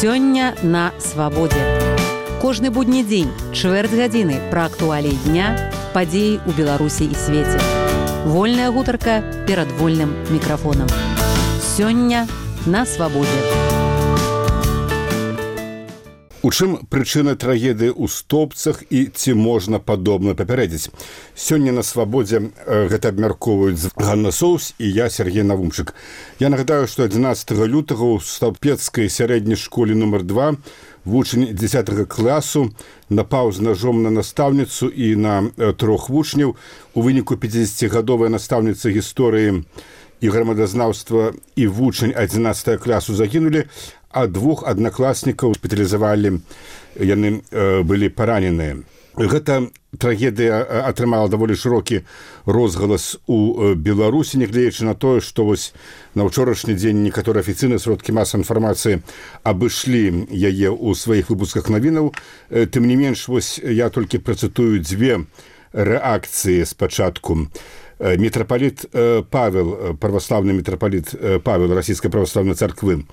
Сёння на свабодзе. Кожны будні дзень, чвэрць гадзіны пра актуаліі дня, падзеі ў Беларусі і свеце. Вольная гутарка перад вольным мікрафонам. Сёння на свабодзе. У чым прычына трагедыі ў Стопцах і ці можна падобна папярэдзіць? Сёння на свабодзе гэта абмяркоўваюць Ганна Соус і я, Сергей Навумчык. Я нагадаю, што 11 лютага ў Стопецкай сярэдняй школе нумар 2 вучань 10 класу напаў з ножом на настаўніцу і на 3 вучняў. У выніку 50-гадовая настаўніца гісторыі і грамадазнаўства і вучань 11 класу загінулі, а 2 аднакласнікаў шпіталізавалі, яны былі параненыя. Гэта трагедыя атрымала даволі шырокі розгалас у Беларусі, нягледзячы на тое, што вось на ўчорашні дзень некаторыя афіцыйныя сродкі масавай інфармацыі абышлі яе ў сваіх выпусках навінаў. Тым не менш, вось я толькі працытую 2 рэакцыі спачатку. Мітрапаліт Павел, праваслаўны мітрапаліт Павел расійскай праваслаўнай царквы,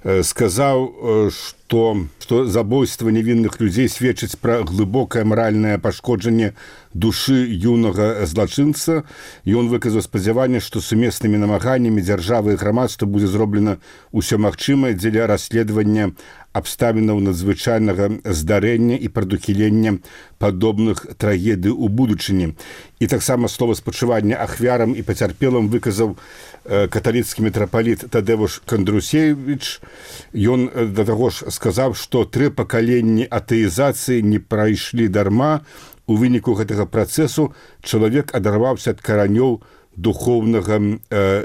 сказаў, што забойства невінных людзей сведчыць пра глыбокае маральнае пашкоджанне душы юнага злачынца. Ён выказаў спадзяванне, што сумеснымі намаганнямі дзяржавы і грамадства будзе зроблена ўсё магчымае дзеля расследавання абставінаў надзвычайнага здарэння і прадухілення падобных трагедый у будучыні. І таксама слова спачування ахвярам і пацярпелым выказаў каталіцкі мітрапаліт Тадэвуш Кандрусевіч. Ён да таго ж сказаў, што 3 пакаленні атэізацыі не прайшлі дарма. У выніку гэтага працэсу чалавек адарваўся ад каранёў духоўнага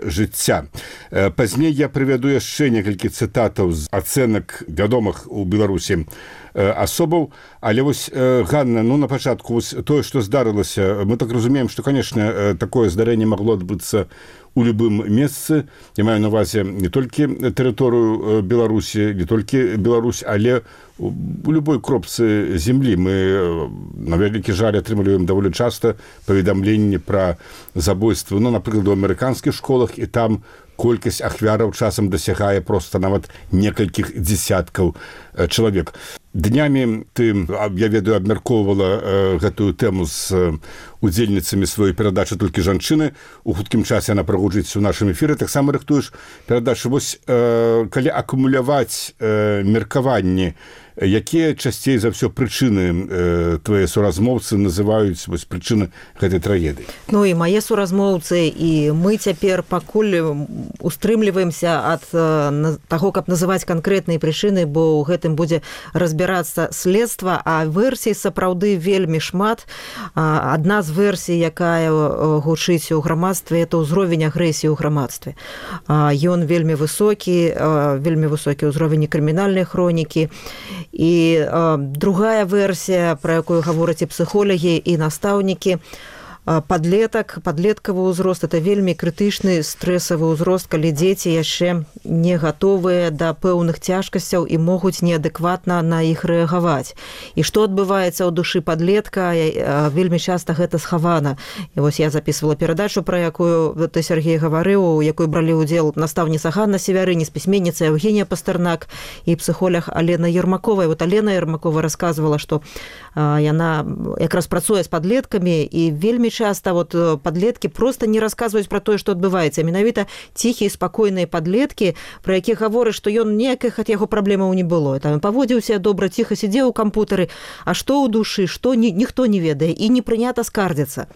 жыцця. Пазней я прывяду яшчэ некалькі цытатаў з ацэнак вядомых у Беларусі асобаў, але вось, Ганна, на пачатку вось тое, што здарылася, мы так разумеем, што, канешне, такое здарэнне магло адбыцца у любым месцы. Я маю на ўвазе не толькі тэрыторыю Беларусі, не толькі Беларусь, але у любой кропцы землі. Мы, на вялікі жаль, атрымліваем даволі часта паведамленні пра забойствы, напрыклад, у амерыканскіх школах, і там колькасць ахвяраў часам дасягае проста нават некалькіх дзесяткаў чалавек. Днямі ты, я ведаю, абмяркоўвала гэтую тэму з удзельніцамі сваёй перадачы «Толькі жанчыны». У хуткім часе яна прагучыць у нашым эфіры. Таксама рыхтуеш перадачу. Вось, калі акумуляваць меркаванні, якія часцей за ўсё прычыны твае суразмоўцы называюць вось прычыны гэтай трагедыі? Ну і мае суразмоўцы, і мы цяпер пакуль устрымліваемся ад таго, каб называць канкрэтныя прычыны, бо ў гэтым будзе разбірацца следства, а версій сапраўды вельмі шмат. Адна з версій, якая гучыць у грамадстве, это ўзровень агрэсіі ў грамадстве. Ён вельмі высокі ўзровень крымінальнай хронікі. І другая версія, пра якую гавораць і псіхолагі, і настаўнікі, падлеткавы ўзрост, это вельмі крытычны стрэсавы ўзрост, калі дзеці яшчэ не гатовыя да пэўных цяжкасцяў і могуць неадэкватна на іх рэагаваць. І што адбываецца ў душы падлетка, вельмі часта гэта схавана. І вось я записывала перадачу, пра якую ты, Сергей, гаварыў, у якой бралі ўдзел настаўніца Ганна Севярыніс, пісьменніца Евгенія Пастарнак і псіхолог Алена Ермакова. І вот Алена Ермакова расказвала, што яна якраз працуе з падлеткамі, і вельмі часто вот падлеткі просто не расказваюць пра тое, што адбываецца. Менавіта ціхія, спакойныя падлеткі, пра якіх гавораць, што ён ніякіх ад яго праблемаў не было. Там паводзіўся добра, ціха сидзеў у кампутары, а што ў душы, што ніхто не ведае, і не прынята скардзіцца.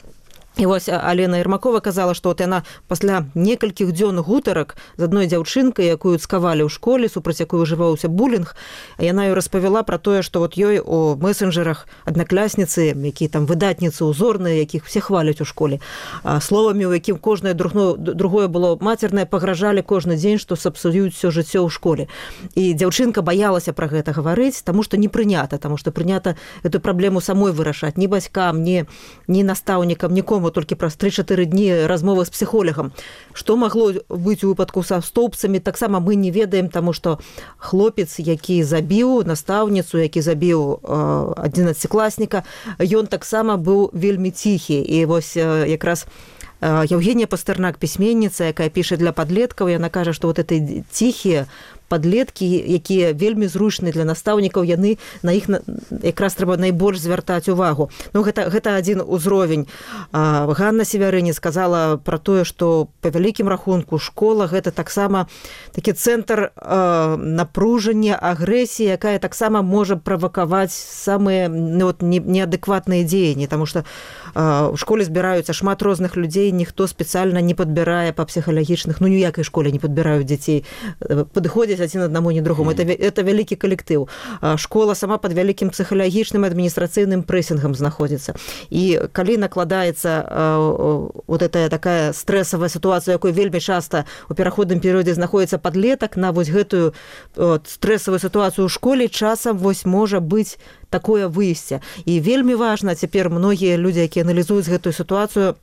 І вось Алена Ермакова казала, што от яна пасля некалькіх дзён гутарак з адной дзяўчынкай, якую цкавалі ў школе, супраць якой ужываўся булінг, яна ёй распавяла пра тое, што вот ёй у месенджерах аднакласніцы, якія там выдатніцы, узорныя, якіх все хваляць у школе, словамі, у якім кожнае другое было мацернае, пагражалі кожны дзень, што сапсуюць усё жыццё ў школе. І дзяўчынка баялася пра гэта гаварыць, таму што не прынята, таму што прынята эту праблему самой вырашаць, ні бацькам, ні настаўнікам, нікому, толькі праз 3-4 дні размовы з псіхолагам. Што магло быць у выпадку са Стопцамі, таксама мы не ведаем, таму што хлопец, які забіў настаўніцу, які забіў 11-класніка, ён таксама быў вельмі ціхі. І вось якраз Евгения Пастарнак, пісьменніца, якая піша для падлеткаў, яна кажа, што вот эти ціхія, падлеткі, якія вельмі зручныя для настаўнікаў, яны на іх якраз трэба найбольш звяртаць увагу. Ну, гэта адзін узровень. Ганна Севярыні сказала пра тое, што па вялікім рахунку школа гэта таксама такі цэнтр напружання, агрэсіі, якая таксама можа правакаваць самыя неадэкватныя дзеянні, таму што у школе збіраюцца шмат розных людзей, ніхто спецыяльна не падбірае па псіхалагічных, ну ніякай школе не падбіраюць дзяцей, падыходзяць адзін аднаму, не другому. Это вялікі калектыў. Школа сама пад вялікім псіхалагічным адміністрацыйным прэсінгам знаходзіцца. І калі накладаецца вот эта такая стрэсавая сітуацыя, якой вельмі часта у пераходным перыядзе знаходзіцца падлетак, на вось гэтую стрэсавую сітуацыю ў школе часам вось можа быць такое выйсце. І вельмі важна цяпер многія людзі, якія аналізуюць гэтую сітуацыю,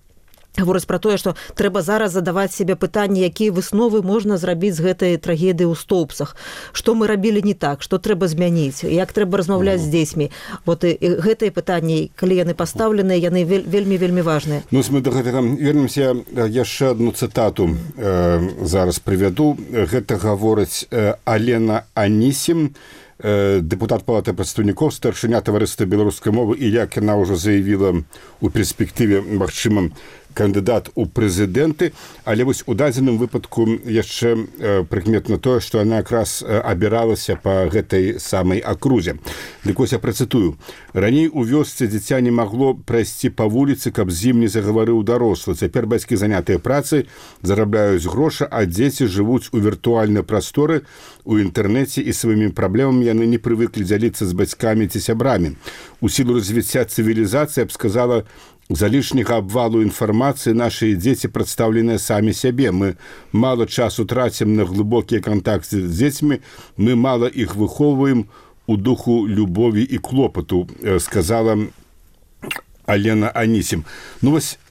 гавораць пра тое, што трэба зараз задаваць себе пытанні, якія высновы можна зрабіць з гэтай трагедыі ў Стоўбцах. Што мы рабілі не так, што трэба змяніць, як трэба размаўляць з дзецьмі. Вот і гэтыя пытанні, калі яны пастаўленыя, яны вельмі важныя. Ну, мы да гэтага вернемся. Яшчэ адну цытату зараз прывяду. Гэта гаворыць Алена Анісім, депутат Палаты прадстаўнікоў, старшыня таварыства беларускай мовы, і як яна ўжо заявіла у перспектыве магчымым кандыдат у прэзідэнты, але вось у дадзеным выпадку яшчэ прыкметна тое, што яна якраз абіралася па гэтай самай акрузе. Дык вось я працытую. Раней у вёсцы дзіця не магло прайсці па вуліцы, каб з ім не загаварыў дарослы. Цяпер бацькі занятыя працай, зарабляюць грошы, а дзеці жывуць у віртуальнай прасторы, у інтэрнэце, і сваімі праблемамі яны не прывыклі дзяліцца з бацькамі ці сябрамі. У сілу развіцця цывілізацыі, я б сказала, за лішняга абвалу інфармацыі нашыя дзеці прадстаўленыя самі сябе. Мы мала часу трацім на глыбокія кантакты з дзецьмі, мы мала іх выхоўваем у духу любові і клопату, сказала Алена Анісім. Ну вось,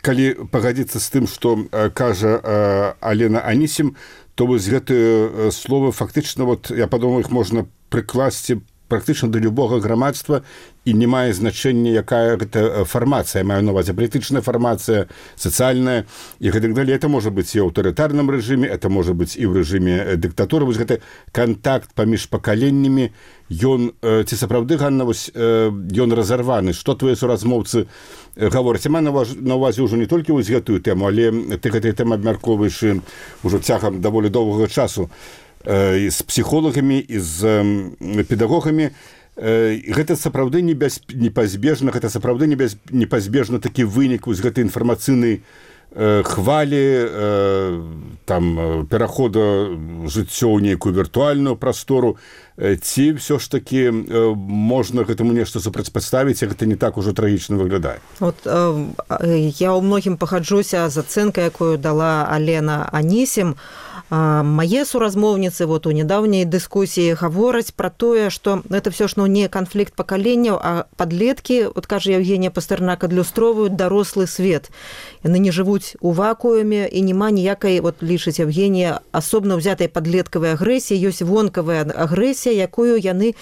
калі пагадзіцца з тым, што кажа Алена Анісім, то вось гэтыя словы фактычна, вот, я падумаў, іх можна прыкласці практычна да любога грамадства, і не мае значэння, якая гэта фармацыя. Маю на увазе палітычная фармацыя, сацыяльная і гэтак далей. Это можа быць і ў аўтарытарным рэжыме, это можа быць і ў рэжыме дыктатуры. Вось гэты кантакт паміж пакаленнямі, ён, ці сапраўды, Ганна, вось ён разарваны. Што твае суразмоўцы гавораць? Я маю на увазе ўжо не толькі вось гэтую тэму, але ты гэтай тэмы абмяркоўваеш ўжо цягам даволі доўгага часу і з псіхолагамі, і з педагогамі. Гэта сапраўды непазбежна, гэта сапраўды непазбежна такі вынік з гэтай інфармацыйнай хвалі, там, перахода жыццё ў нейкую віртуальную прастору, ці ўсё ж такі можна гэтаму нешта супрацьпаставіць, гэта не так ужо трагічна выглядае? Вот я ў многім пагаджуся з ацэнкай, якую дала Алена Анісім. Мае суразмоўніцы вот у нядаўняй дыскусіі гавораць пра тое, што гэта ўсё ж не канфлікт пакаленняў, а падлеткі, вот кажа Евгения Пастэрнак, адлюстроўваюць дарослы свет. Яны не жывуць у вакууме, і няма ніякай, вот лічыць Евгения, асобна ўзятай падлеткавай агрэсіі, ёсць вонкавая агрэсія, якую яны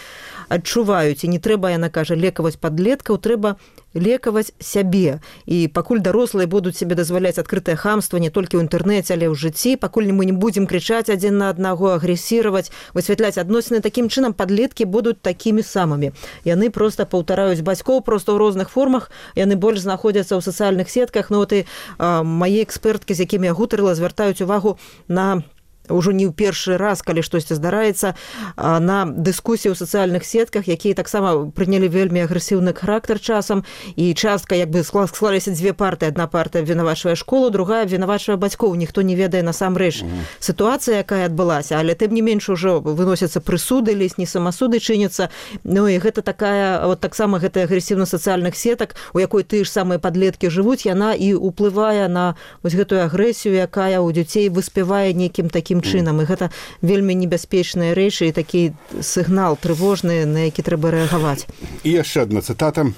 адчуваюць. І не трэба, яна кажа, лекаваць падлеткаў, трэба лекаваць сябе. І пакуль дарослыя будуць себе дазваляць адкрытае хамства не толькі ў інтэрнэце, але ў жыцці, пакуль мы не будзем крычаць адзін на аднаго, агрэсіраваць, высвятляць адносіны, такім чынам падлеткі будуць такімі самымі. Яны проста паўтараюць бацькоў, проста ў розных формах, яны больш знаходзяцца ў сацыяльных сетках. Ну, вот і мае эксперткі, з якімі я гутарыла, звяртаюць увагу на ўжо не ў першы раз, калі штосьці здараецца, на дыскусіі ў сацыяльных сетках, якія таксама прынялі вельмі агрэсіўны характар часам, і частка, як бы склаліся дзве партыі. Адна партыя абвінавачвае школу, другая абвінавачвае бацькоў. Ніхто не ведае насамрэч сітуацыя, якая адбылася, але тым не менш ужо выносяцца прысуды, лесні самасуды чыняцца. Ну і гэта такая, вот таксама гэтая агрэсіўнасць сацыяльных сетак, у якой тыя ж самыя падлеткі жывуць, яна і ўплывае на вось гэтую агрэсію, якая ў дзяцей выспявае нейкім такім чынам. І гэта вельмі небяспечныя рэчы і такі сігнал трывожны, на які трэба рэагаваць. І яшчэ адна цытата.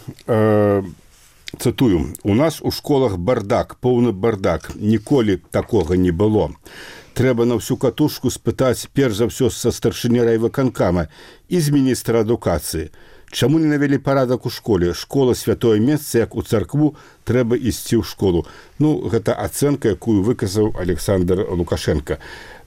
Цытую. У нас у школах бардак, поўны бардак. Ніколі такога не было. Трэба на всю катушку спытаць перш за ўсё са старшыні райвыканкама і з міністра адукацыі. Чаму не навялі парадак у школе? Школа святое месца, як у царкву, трэба ісці ў школу. Ну, гэта ацэнка, якую выказаў Александр Лукашенко.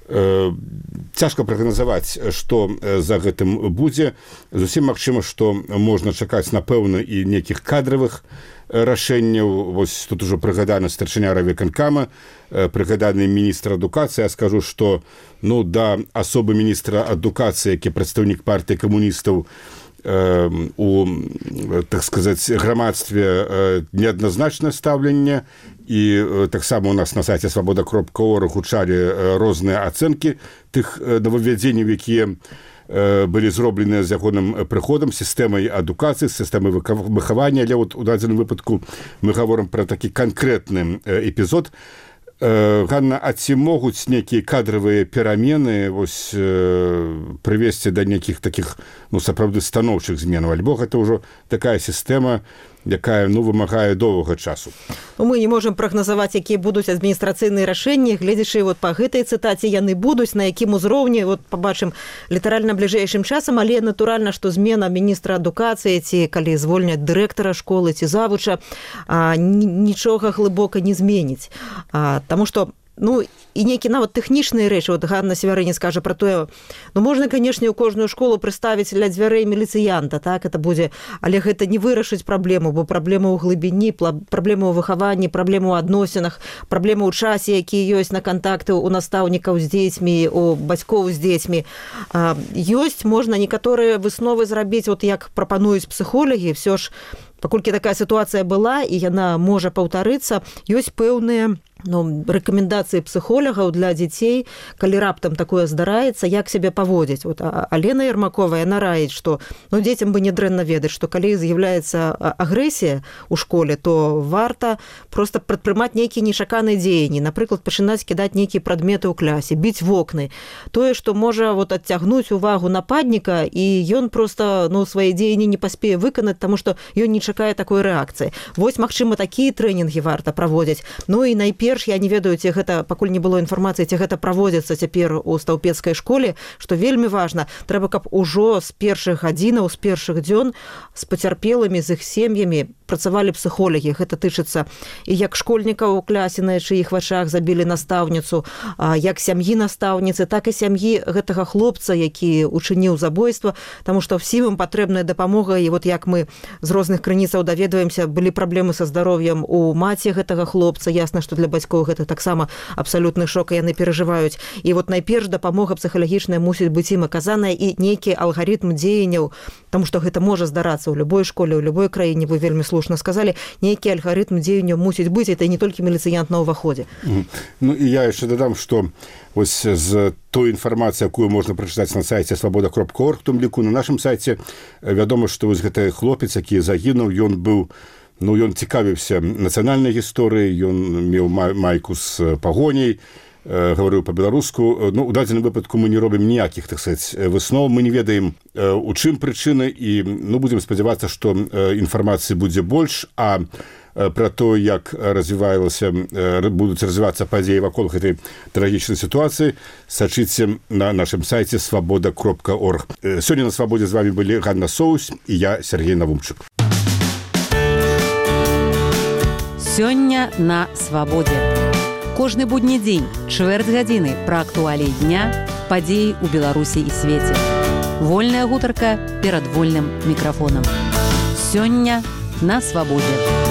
Цяжка прагназаваць, што за гэтым будзе. Зусім магчыма, што можна чакаць, напэўна, і нейкіх кадравых рашэнняў. Вось тут ужо прыгаданы старшыня райвыканкама, прыгаданы міністр адукацыі. Я скажу, што да асобы міністра адукацыі, які прадстаўнік партыі камуністаў, у, так сказаць, грамадстве неадназначнае стаўленне, і таксама у нас на сайце свабода.орг гучалі розныя ацэнкі тых новаввядзенняў, якія былі зробленыя з ягоным прыходам, сістэмай адукацыі, сістэмай выхавання. Але у дадзеным выпадку мы гаворым пра такі канкрэтны эпізод. Ганна, а ці могуць нейкія кадравыя перамены прывесці да нейкіх такіх сапраўды станоўчых зменаў, альбо гэта ўжо такая сістэма, якая вымагае доўгага часу? Мы не можам прагназаваць, якія будуць адміністрацыйныя рашэнні, гледзячы па гэтай цытаце яны будуць, на якім узроўні пабачым літаральна бліжэйшым часам, але натуральна, што змена міністра адукацыі ці калі звольняць дырэктара школы ці завуча, нічога глыбока не зменіць. Таму што і нейкі нават тэхнічныя рэчы, Ганна Севярыня скажа пра тое, можна, канешне, у кожную школу прыставіць ля дзвярэй міліцыянта, так, это будзе, але гэта не вырашыць праблему, бо праблема ў глыбіні, праблема ў выхаванні, праблема ў адносінах, праблема ў часе, які ёсць на кантакты у настаўнікаў з дзецьмі, у бацькоў з дзецьмі. Ёсць, можна некаторыя высновы зрабіць, як прапануюць псіхолагі, все ж, паколькі такая сітуацыя была, і яна можа паўтарыцца, ёсць пэўныя рэкамендацыі псіхолагаў для дзяцей, калі раптам такое здараецца, як сябе паводзіць. Алена Ермакова, яна раіць, што дзецям бы не дрэнна ведаць, што калі з'яўляецца агрэсія ў школе, то варта проста прадпрымаць нейкія нечаканыя дзеянні, напрыклад, пачынаць кідаць нейкія прадметы ў клясе, біць вокны. Тое, што можа адцягнуць увагу нападніка, і ён проста свае дзеянні не паспее выканаць, таму што ён не чакае такой рэакцыі. Вось, магчыма, такія трэнінгі варта праводзіць. І найперш, я не ведаю, ці гэта, пакуль не было інфармацыі, ці гэта праводзіцца цяпер у стаўпецкай школе, што вельмі важна, трэба, каб ужо з першых гадзінаў, з першых дзён з пацярпелымі, з іх сем'ямі працавалі псіхолагі. Гэта тычыцца і як школьнікаў у клясе, на чыіх вачах забілі настаўніцу, як сям'і настаўніцы, так і сям'і гэтага хлопца, які учыніў забойства, таму што ўсім ім патрэбная дапамога. І як мы з розных крыніцаў даведваемся, былі праблемы са здароўем у маці гэтага хлопца. Ясна, што для бацькоў гэта таксама абсалютны шок, і яны перажываюць. І найперш дапамога псіхалагічная мусіць быць ім аказаная, і нейкі алгарытм дзеянняў, таму што гэта можа здарацца ў любой школе, ў любой краіне, вы вельмі слушна сказалі, нейкі алгарытм дзеянняў мусіць быць, это не толькі міліцыянт на ўваходзе. І я яшчэ дадам, што з той інфармацыі, якую можна прачытаць на сайце свабода.орг, у тым ліку на нашым сайце, вядома, што гэты хлопец, які загінуў, ён быў ён цікавіўся нацыянальнай гісторыяй, ён меў майку з пагоняй, гаварыў па-беларуску. У дадзеным выпадку мы не робім ніякіх, так сказаць, выснов, мы не ведаем, у чым прычыны, і будзем спадзявацца, што інфармацыі будзе больш, а пра то, як будуць развівацца падзеі вакол гэтай трагічнай сітуацыі, сачыце на нашым сайце свабода.орг. Сёння на Свабодзе з вамі былі Ганна Соусь і я, Сергей Навумчык. Сёння на Свабодзе. Кожны будні дзень, чвэрць гадзіны пра актуаліі дня, падзеі ў Беларусі і свеце. Вольная гутарка перад вольным мікрафонам. Сёння на Свабодзе.